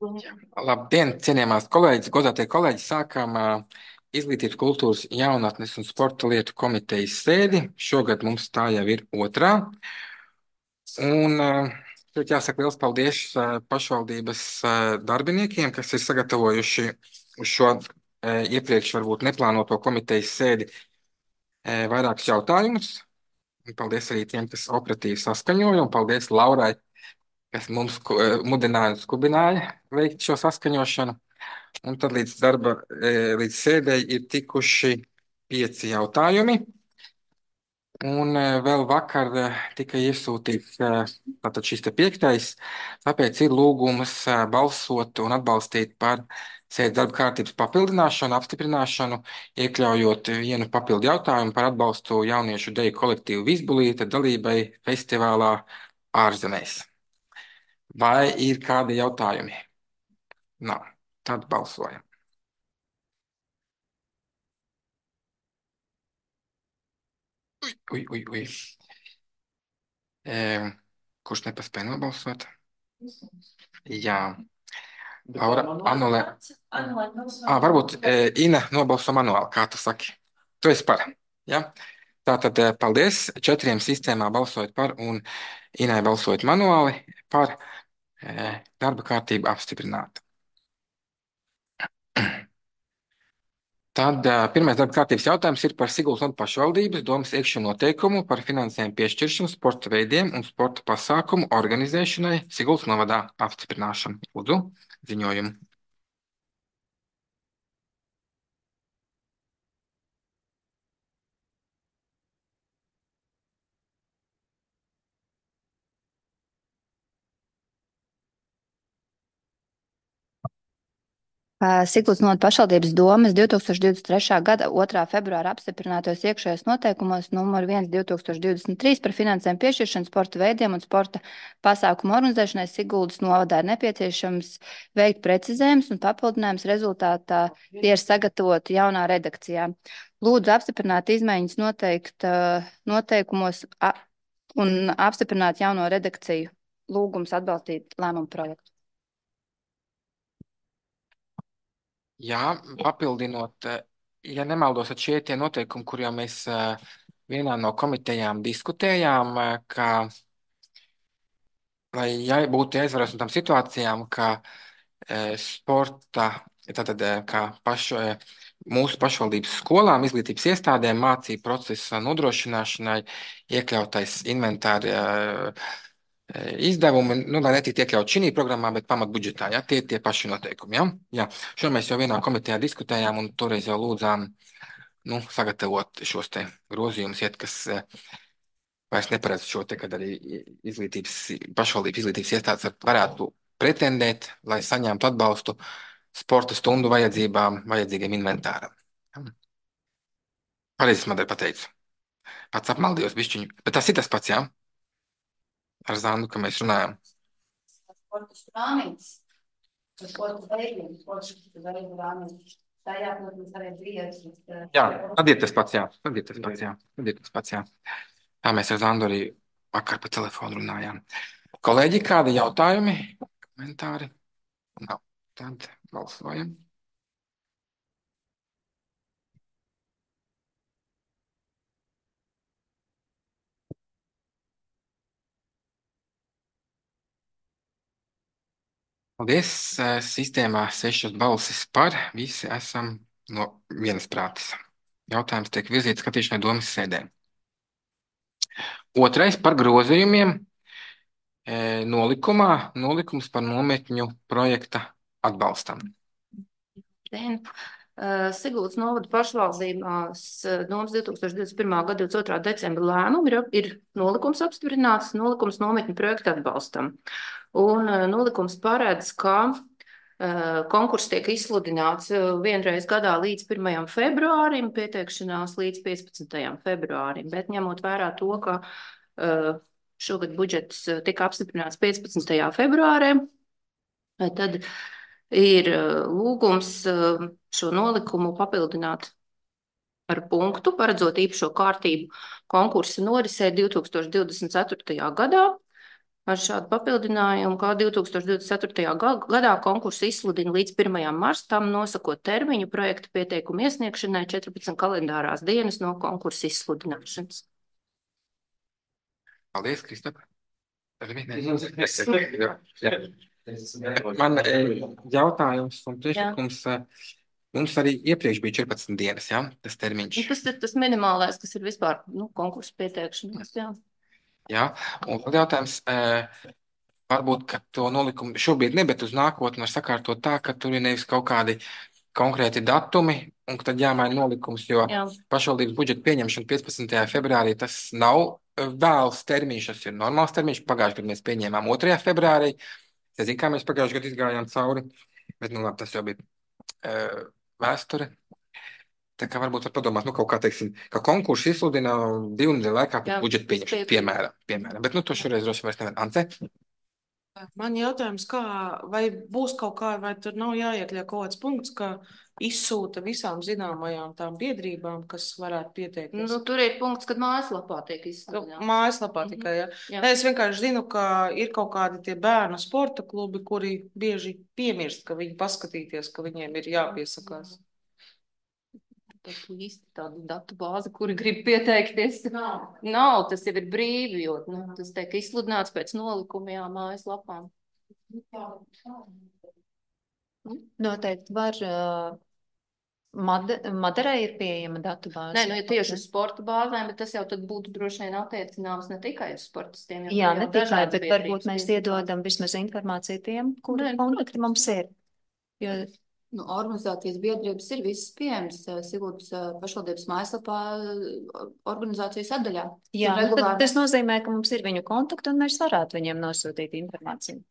Labdien, cienījamās kolēģis, godātie kolēģi, sākām Izglītības, kultūras, jaunatnes un sporta lietu komitejas sēdi. Šogad mums tā jau ir otrā. Un šeit jāsaka liels paldies pašvaldības darbiniekiem, kas ir sagatavojuši uz šo iepriekš varbūt neplānoto komitejas sēdi vairākus jautājumus. Un paldies arī tiem, kas operatīvi saskaņoja, un paldies Laurai, kas mums mudināja un skubināja veikt šo saskaņošanu. Un tad līdz sēdēji ir tikuši 5 jautājumi. Un vēl vakar tika iesūtīts tātad šis te 5. Tāpēc ir lūgums balsot un atbalstīt par sēdes darba kārtības papildināšanu, apstiprināšanu, iekļaujot vienu papildu jautājumu par atbalstu jauniešu deju kolektīvu Vizbulīte dalībai festivālā ārzemēs. Vai ir kādi jautājumi? Nav. Tad balsojam. Ui. Kurš nepaspēja nobalsot? Jā. Laura, anulē. Varbūt Ina nobalso manuāli, kā tu saki. Tu esi par. Ja? Tātad paldies. 4 sistēmā balsojot par un Inai balsojot manuāli par darba kārtību apstiprināt. Tad pirmais darba kārtības jautājums ir par Siguldas novada pašvaldības domas iekšējo noteikumu par finansējumu piešķiršanu sporta veidiem un sporta pasākumu organizēšanai Siguldas novadā apstiprināšanu. Lūdzu, ziņojumu. Siguldas novada pašvaldības domes 2023. gada 2. februāra apstiprinātos iekšējos noteikumos numur 1/2023 par finansējumu piešķiršanu sporta veidiem un sporta pasākumu organizēšanai Siguldas novadā ir nepieciešams veikt precizējums un papildinājums rezultātā tie ir sagatavoti jaunā redakcijā. Lūdzu apstiprināt izmaiņas noteikumos un apstiprināt jauno redakciju. Lūgums atbalstīt lēmumu projektu. Jā, papildinot, ja nemaldos, tad šie tie noteikumi, kur jau mēs vienā no komitejām diskutējām, ka, lai būtu jāizvaras no tām situācijām, ka sporta, tātad kā mūsu pašvaldības skolām, izglītības iestādēm mācību procesa nodrošināšanai iekļautais inventāri izdevumi, lai netiktu iekļaut šī programmā, bet pamatbudžetā, ja, tie paši noteikumi, ja? Jā. Šo mēs jau vienā komitejā diskutējām un toreiz jau lūdzām, sagatavot šos te grozījumus, kas vairs neparedz šo te, kad arī pašvaldības izglītības iestādes varētu pretendēt, lai saņemtu atbalstu sporta stundu vajadzīgiem inventāram. Pareizi man pateicu. Pats apmaldījos bišķiņu, bet tas ir tas pats, jā? Ar Zandu, ka mēs runājam. Sporta strāmītes, sporta veidiem, sporta veidu rāmītes. Tajā, protams, arī brīvs. Jā, tad ir tas pats, jā. Tā mēs ar Zandu arī vakar pa telefonu runājām. Kolēģi, kādi jautājumi, komentāri? Nav. Tad balsojam. Paldies. Sistēmā 6 balsis par. Visi esam no vienas prātes. Jautājums tiek virzīts skatīšanai domas sēdē. Otrais par grozījumiem nolikumā. Nolikums par nometņu projekta atbalstam. Siguldas novada pašvaldībās domas 2021. gada 22. decembra lēmumu ir nolikums apstiprināts, nolikums nometņu projektu atbalstam. Un nolikums paredz, ka konkurss tiek izsludināts vienreiz gadā līdz 1. februārim, pieteikšanās līdz 15. februārim, bet ņemot vērā to, ka šogad budžets tika apstiprināts 15. februārī, tad ir lūgums šo nolikumu papildināt ar punktu, paredzot īpašo kārtību konkursa norisē 2024. gadā. ar šādu papildinājumu, kā 2024. gadā konkursu izsludina līdz 1. marstam, nosakot termiņu projekta pieteikumu iesniegšanai 14 kalendārās dienas no konkursa izsludināšanas. Paldies, Kristap. Man jautājums un priekšlikums. Mums arī iepriekš bija 14 dienas, ja, tas termiņš. Tas ir tas minimālais, kas ir vispār konkursu pieteikšanās. Jā, un tad jautājums, varbūt, ka to nolikumu šobrīd ne, bet uz nākotni var sakārtot tā, ka tur ir nevis kaut kādi konkrēti datumi, un tad jāmaina nolikums, jo pašvaldības budžeta pieņemšana 15. februārī tas nav vēls termiņš, tas ir normāls termiņš. Pagājušajā gadā mēs pieņēmām 2. februārī. Es zinu, kā mēs pagājušajā gadā izgājām cauri, bet labi, tas jau bija vēsture. Tā kā varbūt var padomāt, kaut kā, teiksim, ka konkursu izsludina 2 nedēļu laikā pēc budžeta pieņemšanas, piemēram. Bet to šoreiz droši vairs nevar. Ance? Man jautājums, vai būs kaut kā, vai tur nav jāiekļauj kaut kāds punkts, ka izsūta visām zināmajām tām biedrībām, kas varētu pieteikties? Tur ir punkts, kad mājaslapā tiek izsludināts. Mājaslapā tikai, jā. Es vienkārši zinu, ka ir kaut kādi tie bērnu sporta klubi, kuri bieži piemirst, ka viņi paskatīties, ka viņiem ir jāpiesakās. Īsti tāda datu bāze, kuri grib pieteikties. Nav, tas jau ir brīvi, jo tas tiek izsludināts pēc nolikumajām mājaslapām. Noteikti var. Maderai ir pieejama datu bāze. Nē, ja tieši uz sporta bāzēm, bet tas jau tad būtu droši vien attiecināms ne tikai uz sportistiem. Jā, ne tikai, bet varbūt mēs iedodam vismaz informāciju tiem, kuri kontakti mums ir. Jo organizācijas biedrības ir visas pieejamas Siguldas pašvaldības mājaslapā organizācijas sadaļā. Jā, tas nozīmē, ka mums ir viņu kontakti un mēs varētu viņiem nosūtīt informāciju.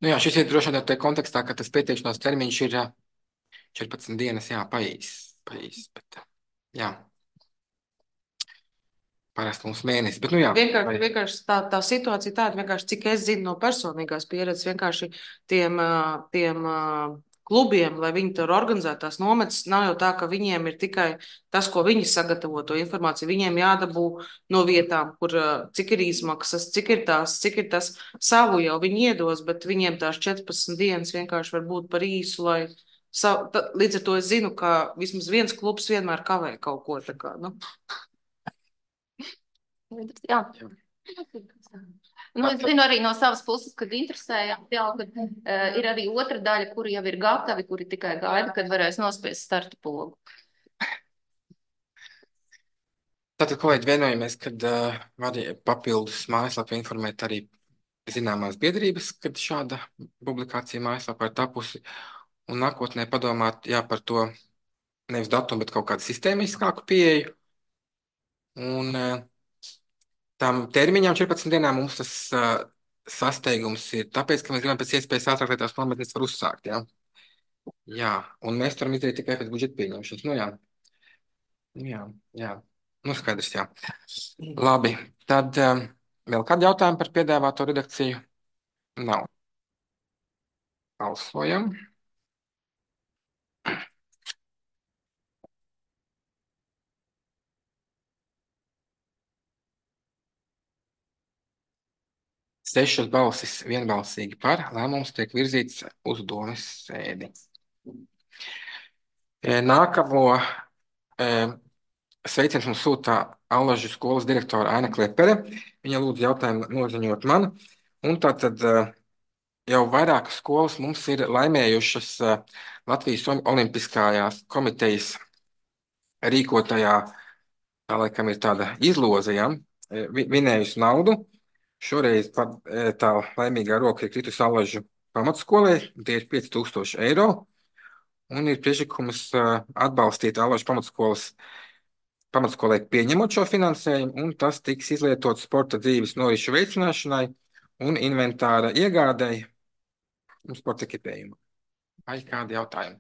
Jā, šis ir droši vien tā kontekstā, ka tas pieteikšanās termiņš ir 14 dienas, paīs, bet jā. Parasti mums mēnesis, bet vienkārši tā situācija tāda, vienkārši, cik es zinu no personīgās pieredzes, vienkārši tiem klubiem, lai viņi tur organizētās nometnes, nav jau tā, ka viņiem ir tikai tas, ko viņi sagatavo to informāciju. Viņiem jādabū no vietām, kur cik ir izmaksas, cik ir tas savu jau viņi iedos, bet viņiem tās 14 dienas vienkārši var būt par īsu, lai līdz ar to es zinu, ka vismaz viens klubs vienmēr kavē kaut ko tā kā, Jā. Es zinu arī no savas puses, kad interesējām, kad ir arī otra daļa, kuri jau ir gatavi, kuri tikai gaida, kad varēs nospiest starta pogu. Tātad, kolēģi, vienojamies, kad var papildus mājaslapu informēt arī zināmās biedrības, kad šāda publikācija mājaslapā ir tapusi, un nākotnē padomāt, par to nevis datumu, bet kaut kādu sistēmiskāku pieeju. Un tam termiņām 14 dienām mums tas sasteigums ir tāpēc, ka mēs gribam pēc iespējas ātrāk, lai tās nometnes var uzsākt, Jā, un mēs varam izdarīt tikai pēc budžeta pieņemšanas. Jā. Skaidrs, jā. Labi, tad vēl kādi jautājumi par piedāvāto redakciju? Nav. Balsojam. Sešas balsis vienbalsīgi par, lēmums tiek virzīts uz domes sēdi. Nākamo sveiciens mums sūta Allažu skolas direktora Aina Klepere. Viņa lūdzu jautājumu noziņot man. Un tātad jau vairākas skolas mums ir laimējušas Latvijas Olimpiskajās komitejas rīkotajā, tā laikam ir tāda izloze, vinējusi naudu. Šoreiz tā laimīgā roka ir kritusi Allažu pamatskolai, tie ir 5000 eiro, un ir priekšlikums atbalstīt Allažu pamatskolai pieņemot šo finansējumu, un tas tiks izlietots sporta dzīves norišu veicināšanai un inventāra iegādēji un sporta ekipējumu. Vai kādi jautājumi?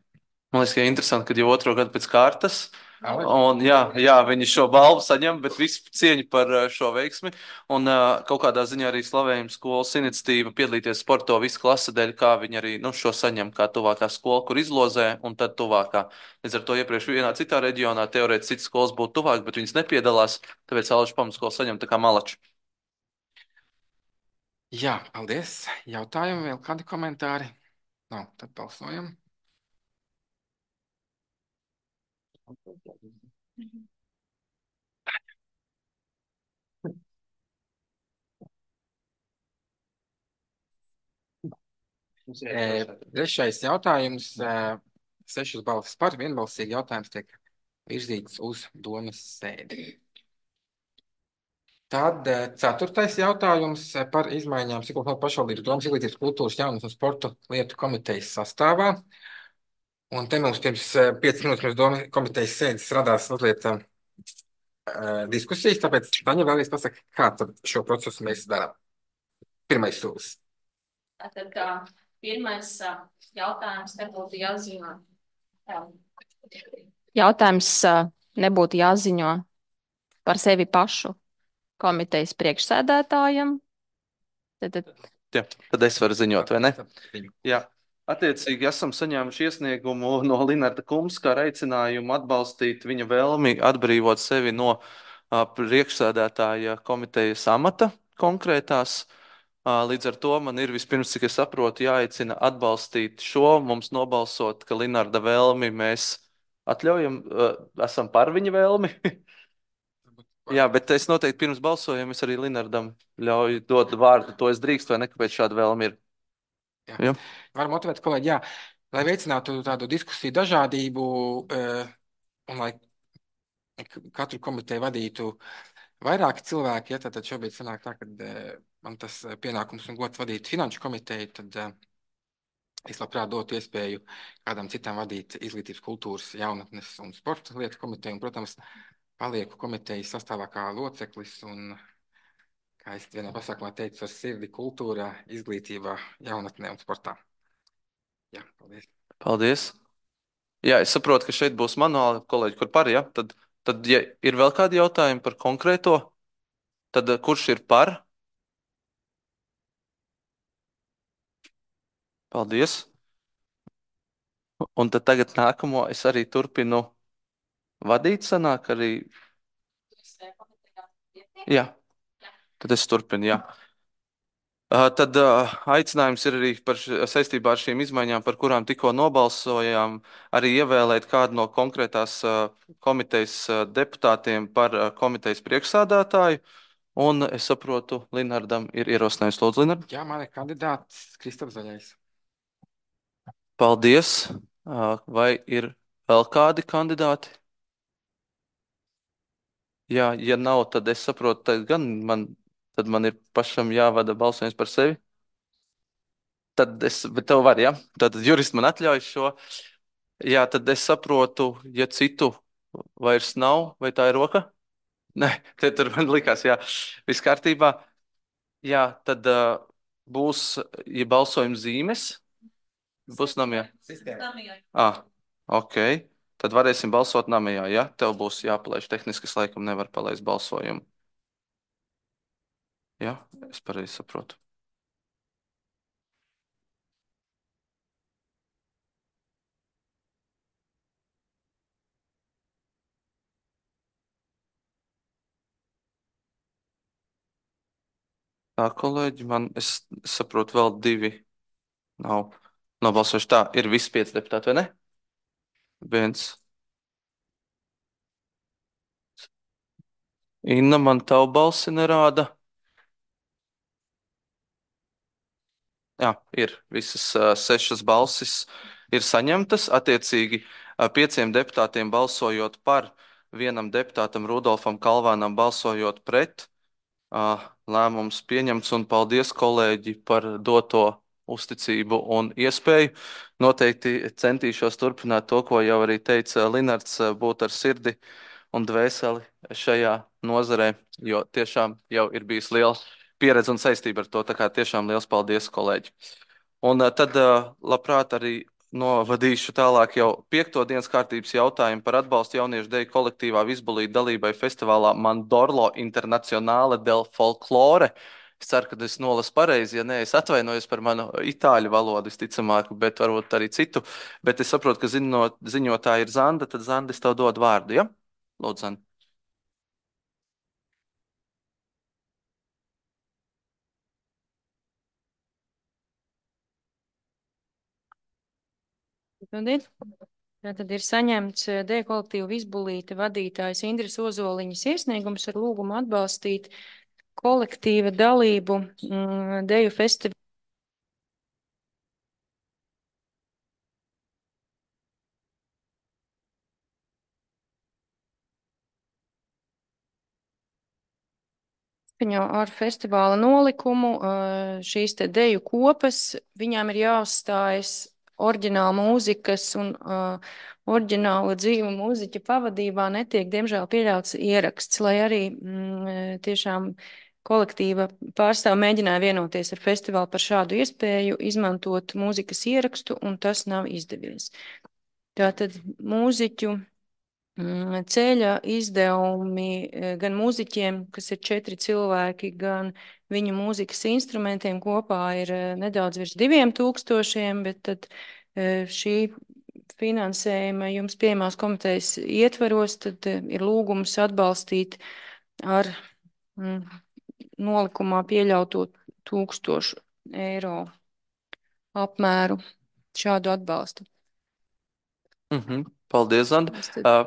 Man liekas, ka ir interesanti, ka jau otro gadu pēc kārtas Un, jā, viņi šo balvu saņem, bet visu cieņu par šo veiksmi. Un kaut kādā ziņā arī slavējuma skolas iniciatīva piedalīties sporto visu klasa dēļ, kā viņi arī šo saņem kā tuvākā skola, kur izlozē, un tad tuvākā. Līdz ar to iepriekš vienā citā reģionā teorētiski citas skolas būtu tuvāk, bet viņas nepiedalās, tāpēc Alžu pamatskola saņem tā kā malači. Jā, paldies. Jautājumi vēl kādi komentāri? Nav, tad balsojam. Trešais jautājums. 6 balsis par, vienbalsīgi jautājums tiek virzīts uz domas sēdi. Tad 4. jautājums par izmaiņām Siguldas pašvaldības domas izglītības, kultūras, jaunas un sporta lietu komitejas sastāvā. Un te mums pirms 5 minūtes pirms domas komitejas sēdes radās mazliet diskusijas, tāpēc Taņa vēlreiz pasaka, kā tad šo procesu mēs darām. Pirmais solis. Tad pirmais jautājums nebūtu jāziņo. Jautājums nebūtu jāziņo par sevi pašu komitejas priekšsēdētājam. Jā, tad es varu ziņot, vai ne? Jā. Attiecīgi esam saņēmuši iesniegumu no Linarda Kumska ar aicinājumu atbalstīt viņa vēlmi atbrīvot sevi no priekšsēdētāja komitejas amata konkrētās. Līdz ar to man ir vispirms, cik es saprotu, jāaicina atbalstīt šo, mums nobalsot, ka Linarda vēlmi mēs atļaujam, esam par viņa vēlmi. Jā, bet es noteikti pirms balsojuma es arī Linardam ļauju dot vārdu, to es drīkstu, vai ne, kāpēc šāda vēlme ir. Jā. Varu motivēt kolēģi, jā, lai veicinātu tādu diskusiju dažādību un lai katru komiteju vadītu vairāki cilvēki, ja, tad šobrīd sanāk tā, ka man tas pienākums un gods vadīt finanšu komiteju, tad es labprāt dotu iespēju kādam citam vadīt izglītības, kultūras, jaunatnes un sporta lietu komiteju, un, protams, palieku komitejas sastāvā kā loceklis un, kā es vienā pasākumā teicu, ar sirdi kultūrā, izglītībā, jaunatnē un sportā. Jā, paldies. Paldies. Jā, es saprotu, ka šeit būs manuāli kolēģi, kur par, ja? Tad, ja ir vēl kādi jautājumi par konkrēto, tad kurš ir par? Paldies. Un tad tagad nākamo es arī turpinu vadīt, sanāk arī. Jā, tad es turpinu, jā. Tad aicinājums ir arī saistībā ar šīm izmaiņām, par kurām tikko nobalsojām, arī ievēlēt kādu no konkrētās komitejas deputātiem par komitejas priekšsādātāju. Un es saprotu, Linardam ir ierosinājums. Lūdzu, Linard. Jā, man ir kandidāts Kristaps Zaļais. Paldies. Vai ir vēl kādi kandidāti? Jā, ja nav, tad es saprotu, tad man ir pašam jāvada balsojums par sevi. Bet tev var, ja? Tad jurists man atļauj šo. Jā, tad es saprotu, ja citu vairs nav, vai tā ir roka? Nē, tur man likās, jā, viss kārtībā. Jā, tad būs, ja balsojums zīmes, būs namijā. Ok. Tad varēsim balsot namijā, ja? Tev būs jāpalaiž tehniski, es laikam nevaru palaist balsojumu. Jā, es pareizi saprotu. Tā, kolēģi, es saprotu, vēl 2 nav nobalsojuši. Tā, ir visi 5 deputāti, vai ne? 1. Inna, man tavu balsi nerāda. Jā, ir visas 6 balsis ir saņemtas. Attiecīgi 5 deputātiem balsojot par, 1 deputātam Rudolfam Kalvānam balsojot pret. Lēmums pieņemts, un paldies, kolēģi, par doto uzticību un iespēju. Noteikti centīšos turpināt to, ko jau arī teica Linards, būt ar sirdi un dvēseli šajā nozarē, jo tiešām jau ir bijis liela pieredze un saistība ar to. Tā kā tiešām liels paldies, kolēģi. Un tad labprāt arī novadīšu tālāk jau 5. dienas kārtības jautājumu par atbalstu jauniešu deju kolektīvā Vizbulīte dalībai festivālā Mandorlo Internacionāle del Folklore. Es ceru, ka es nolasu pareizi, ja nē, es atvainojos par manu itāļu valodu, visticamāk, bet varbūt arī citu. Bet es saprotu, ka ziņotāja ir Zanda, tad Zanda, es tev dodu vārdu, ja? Lūdzu, Zanda. Tātad ir saņemts deju kolektīvu Vizbulīte vadītājs Indras Ozoliņas iesniegums ar lūgumu atbalstīt kolektīva dalību deju festivālā. Ar festivāla nolikumu šīs te deju kopas, viņām ir jāuzstājas oriģināla mūzikas un oriģināla dzīva mūziķa pavadībā netiek, diemžēl, pieļauts ieraksts, lai arī tiešām kolektīva pārstāv mēģināja vienoties ar festivālu par šādu iespēju izmantot mūzikas ierakstu, un tas nav izdevies. Tātad mūziķu ceļa izdevumi gan mūziķiem, kas ir 4 cilvēki, gan viņu mūzikas instrumentiem kopā ir nedaudz virs 2000, bet tad šī finansējuma jums pieejamās komitejas ietveros, tad ir lūgums atbalstīt ar nolikumā pieļauto 1000 eiro apmēru šādu atbalstu. Paldies, Zanda.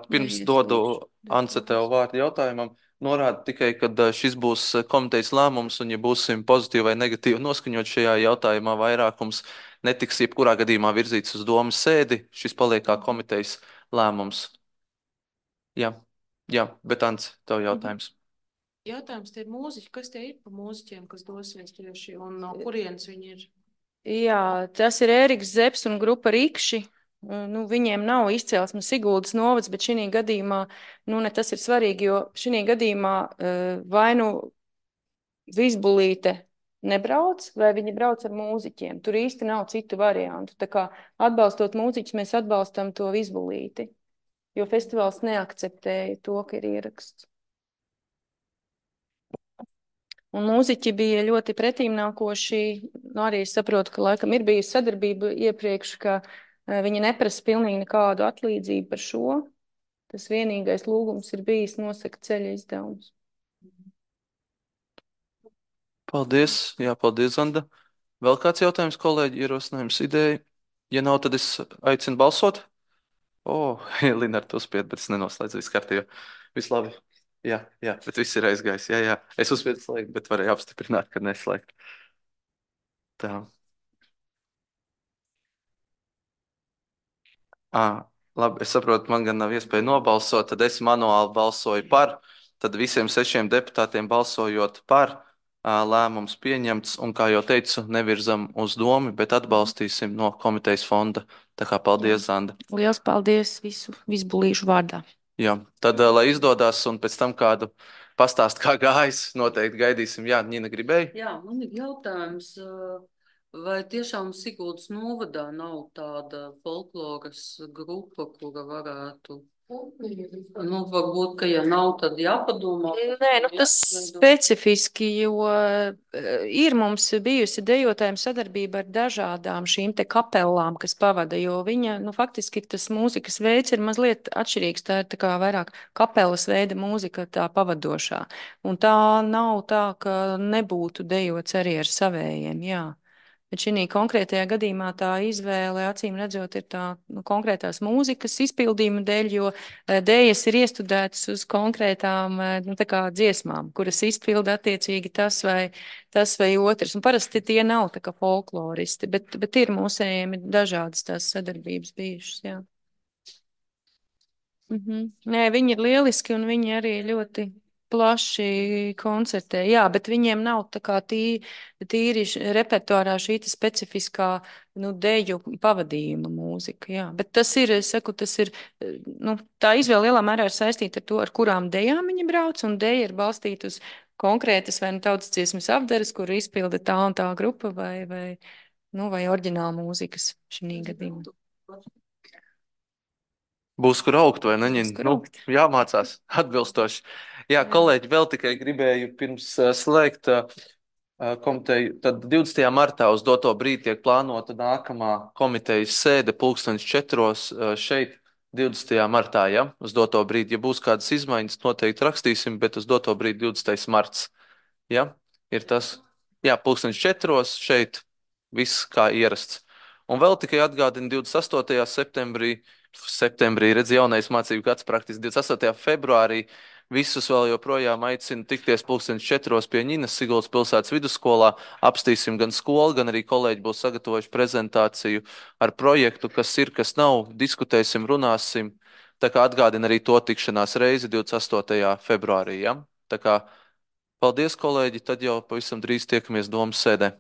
Pirms dodu Ance tev vārdu jautājumam, norāda tikai, ka šis būs komitejas lēmums, un ja būsim pozitīvi vai negatīvi noskaņot šajā jautājumā, vairākums netiks jebkurā gadījumā virzīts uz domas sēdi. Šis paliek kā komitejas lēmums. Jā, bet Ance, tev jautājums. Jautājums tie ir mūziķi. Kas tie ir pa mūziķiem, kas dosies tieši, un no kurienes viņi ir? Jā, tas ir Ēriks Zepes un grupa Rikši. Viņiem nav izcelsmes Siguldas novads, bet šī gadījumā, ne tas ir svarīgi, jo šī gadījumā vai Vizbulīte nebrauc, vai viņi brauc ar mūziķiem. Tur īsti nav citu variantu. Tā kā atbalstot mūziķus, mēs atbalstam to Vizbulīti, jo festivāls neakceptēja to, ka ir ieraksts. Un mūziķi bija ļoti pretīmnākoši. Arī es saprotu, ka laikam ir bijusi sadarbība iepriekš, ka viņi neprasa pilnīgi nekādu atlīdzību par šo. Tas vienīgais lūgums ir bijis nosaka ceļa izdevums. Paldies. Jā, paldies, Zanda. Vēl kāds jautājums, kolēģi, ierosinājums, ideja? Ja nav, tad es aicinu balsot. Linara, tu uzspied, bet es nenoslēdzu, viss kārtībā. Viss labi. Jā, bet viss ir aizgājis. Jā. Es uzspiedu slēgt, bet varēju apstiprināt, ka neslēgt. Tā. Labi, es saprotu, man gan nav iespēja nobalsot, tad es manuāli balsoju par. Tad visiem 6 deputātiem balsojot par, lēmums pieņemts, un, kā jau teicu, nevirzam uz domu, bet atbalstīsim no komitejas fonda. Tā kā paldies, Zanda. Liels paldies visu Vizbulīšu vārdā. Jā, tad, lai izdodas, un pēc tam kādu pastāst, kā gājis, noteikti gaidīsim. Jā, Nina gribēja? Jā, man ir jautājums, vai tiešām Siguldas novadā nav tāda folkloras grupa, kura varētu... varbūt, ka ja nav, tad jāpadomā. Nē, tas specifiski, jo ir mums bijusi dejotājiem sadarbība ar dažādām šīm te kapellām, kas pavada, jo viņa, faktiski tas mūzikas veids ir mazliet atšķirīgs, tā ir tā kā vairāk kapelas veida mūzika tā pavadošā. Un tā nav tā, ka nebūtu dejots arī ar savējiem, jā. Bet šī konkrētajā gadījumā tā izvēle, acīm redzot, ir tā konkrētās mūzikas izpildījuma dēļ, jo dējas ir iestudētas uz konkrētām tā kā dziesmām, kuras izpilda attiecīgi tas vai otrs. Un parasti tie nav tā kā folkloristi, bet ir mūsējiem dažādas tās sadarbības bijušas, jā. Nē, viņi ir lieliski un viņi arī ļoti plaši koncertē, jā, bet viņiem nav tā kā tīri repertuārā šī specifiskā, deju pavadījuma mūzika, jā. Bet tas ir, es saku, tā izvēle lielā mērā ir saistīta ar to, ar kurām dejām viņi brauc, un deja ir balstīta uz konkrētas vai tautas dziesmas apdares, kur izpilda tā un tā grupa vai oriģināla mūzikas šī gadījumā. Būs kur augt, vai ne? Būs kur Nu, augt. jāmācās atbilstoši. Jā, kolēģi, vēl tikai gribēju pirms slēgt komiteju. Tad 20. martā uz doto brīdi tiek plānota nākamā komitejas sēde 4:00 šeit 20. martā. Ja? Uz doto brīdi, ja būs kādas izmaiņas, noteikti rakstīsim, bet uz doto brīdi 20. marts. Ja? Ir tas, jā, 4:00 šeit, viss kā ierasts. Un vēl tikai atgādina 28. septembrī, redz, jaunais mācību gads praktiski 28. februārī. Visus vēl joprojām aicinu tikties 4:00 pie Ņinas Siguldas pilsētas vidusskolā. Apstīsim gan skolu, gan arī kolēģi būs sagatavojuši prezentāciju ar projektu, kas ir, kas nav. Diskutēsim, runāsim. Tā kā atgādina arī to tikšanās reizi 28. februārī. Ja? Tā kā paldies, kolēģi, tad jau pavisam drīz tiekamies domas sēdē.